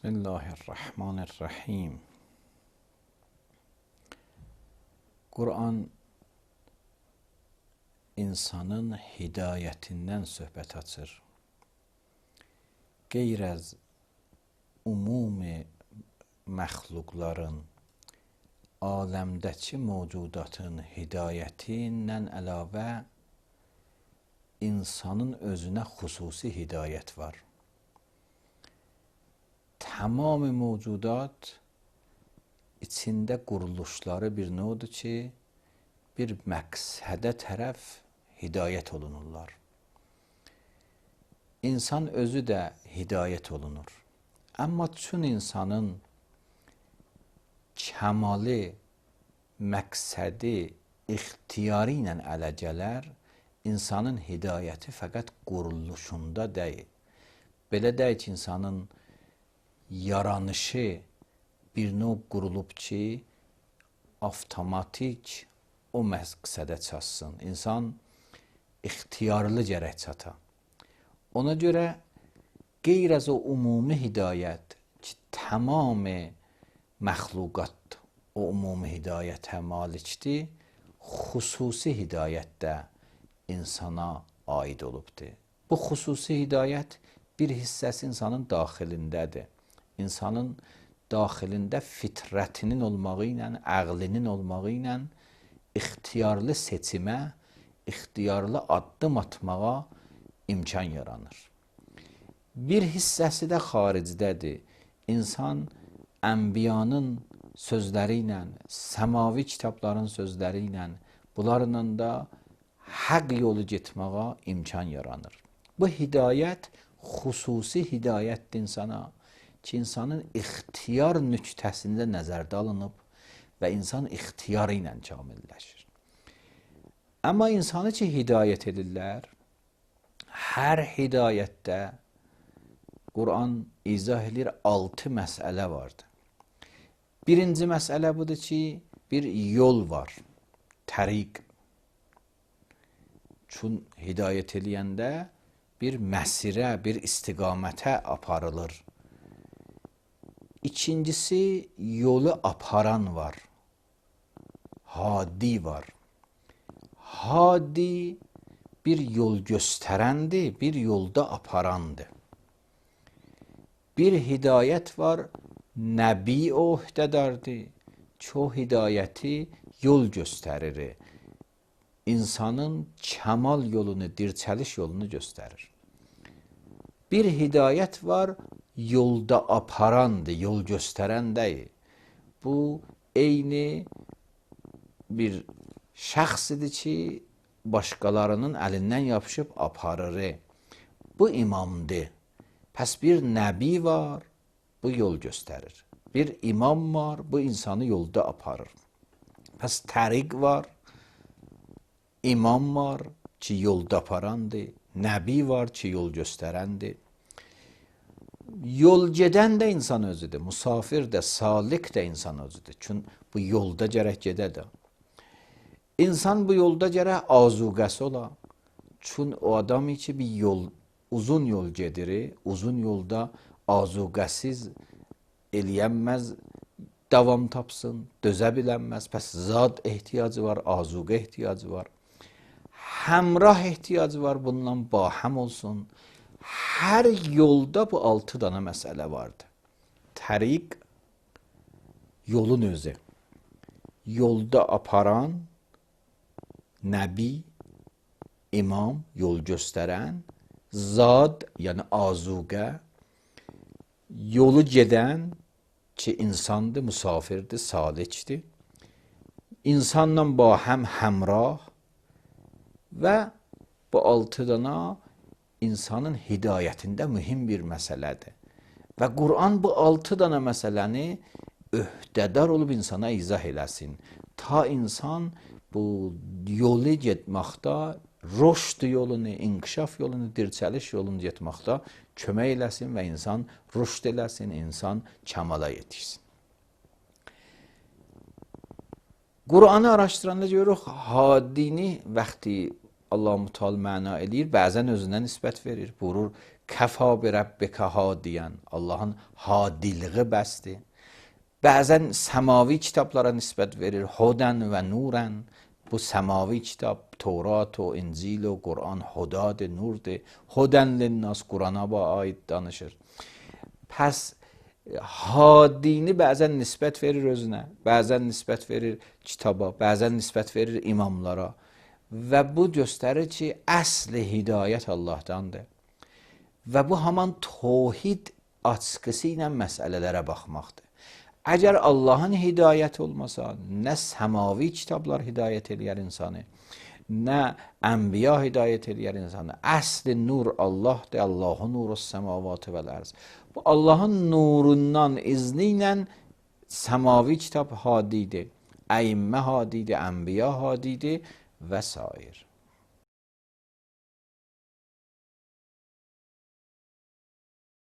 Bismillahirrahmanirrahim. Kur'an insanın hidayetinden söhbət açır. Qeyr-əz umumi məxluqların, aləmdəki mövcudatın hidayətindən əlavə insanın özünə xüsusi hidayət var. Tamam mövcudat içində quruluşları bir nödür ki, bir məqsədə tərəf hidayət olunurlar. İnsan özü də hidayət olunur. Amma çün insanın kəmalı məqsədi ixtiyarı ilə ələ gələr, insanın hidayəti fəqət quruluşunda deyil. Belə deyil ki, insanın yaranışı bir növ qurulub ki, avtomatik o məqsədə çatsın. İnsan ixtiyarlı gərək çata. Ona görə qeyr-əz o umumi hidayət ki, tamamı məxluqat o umumi hidayətə malikdir, xüsusi hidayət də insana aid olubdur. Bu xüsusi hidayət bir hissəsi insanın daxilindədir. İnsanın daxilində fitrətinin olmağı ilə, əqlinin olmağı ilə ixtiyarlı seçimə, ixtiyarlı addım atmağa imkan yaranır. Bir hissəsi də xaricdədir. İnsan ənbiyanın sözləri ilə, səmavi kitabların sözləri ilə, bunlarla da həq yolu getməyə imkan yaranır. Bu hidayət xüsusi hidayətdir insana ki, insanın ixtiyar nüqtəsində nəzərdə alınıb və insan ixtiyarı ilə kamilləşir. Amma insanı ki, hidayət edirlər, hər hidayətdə Qur'an izah edir 6 məsələ vardır. Birinci məsələ budur ki, bir yol var, təriq. Çün hidayət edəndə bir məsirə, bir istiqamətə aparılır. İkincisi, yolu aparan var. Hadi var. Hadi bir yol göstərəndir, bir yolda aparandır. Bir hidayət var, Nəbi öhdədardır. Çox hidayəti yol göstərir. İnsanın kəmal yolunu, dirçəliş yolunu göstərir. Bir hidayət var, yolda aparandır, yol göstərən deyil. Bu, eyni bir şəxsidir ki, başqalarının əlindən yapışıb aparır. Bu imamdır. Pəs bir nəbi var, bu yol göstərir. Bir imam var, bu insanı yolda aparır. Pəs təriq var, imam var ki, yolda aparandır. Nəbi var ki, yol göstərəndir. Yol gedən də insan özüdür. Musafir də, salik də insan özüdür. Çünki bu yolda gərək gedə də. İnsan bu yolda gərək azuqəsi ola. Çünki o adam ki, bir yol, uzun yol gedir, uzun yolda azuqəsiz eləyənməz, davam tapsın, dözə bilənməz. Pəs zad ehtiyacı var, azuqə ehtiyacı var. Həmrah ehtiyacı var, bununla bahəm olsun. Hər yolda bu 6 dana məsələ vardır. Təriq, yolun özü. Yolda aparan, nəbi, imam, yol göstərən, zad, yəni azuqə, yolu gedən ki, insandır, musafirdir, salikdir. İnsanla bahəm həmrah və bu 6 dana insanın hidayətində mühim bir məsələdir. Və Qur'an bu 6 dana məsələni öhdədar olub insana izah eləsin. Ta insan bu yolu getməkdə, rüşd yolunu, inkişaf yolunu, dirçəliş yolunu getməkdə kömək eləsin və insan rüşd eləsin, insan kəmala yetişsin. Qur'anı araşdıranda görürük, hadini vaxtı Allah-u Teala məna edir, bəzən özünə nisbət verir. Buyurur, Kəfa bi rabbika hadiyan. Allahın hadiliği bəsdir. Bəzən səmavi kitablara nisbət verir. Hudən və nurən. Bu səmavi kitab, Tevrat o İncil o Quran hudadır, nurdur. Hudən linnas Qurana aid danışır. Pəs hadini bəzən nisbət verir özünə, bəzən nisbət verir kitaba, bəzən nisbət verir imamlara. Və bu göstərir ki, əsli hidayət Allahdandır. Və bu haman tövhid açqısı ilə məsələlərə baxmaqdır. Əgər Allahın hidayəti olmasa, nə səmavi kitablar hidayət eləyər insanı, nə ənbiya hidayət eləyər insanı. Əsli nur Allahdır, Allahun nuru səmavatı vəl ərz. Bu Allahın nurundan, izni ilə səmavi kitab hadidir, əimmə hadidir, ənbiya hadidir və s.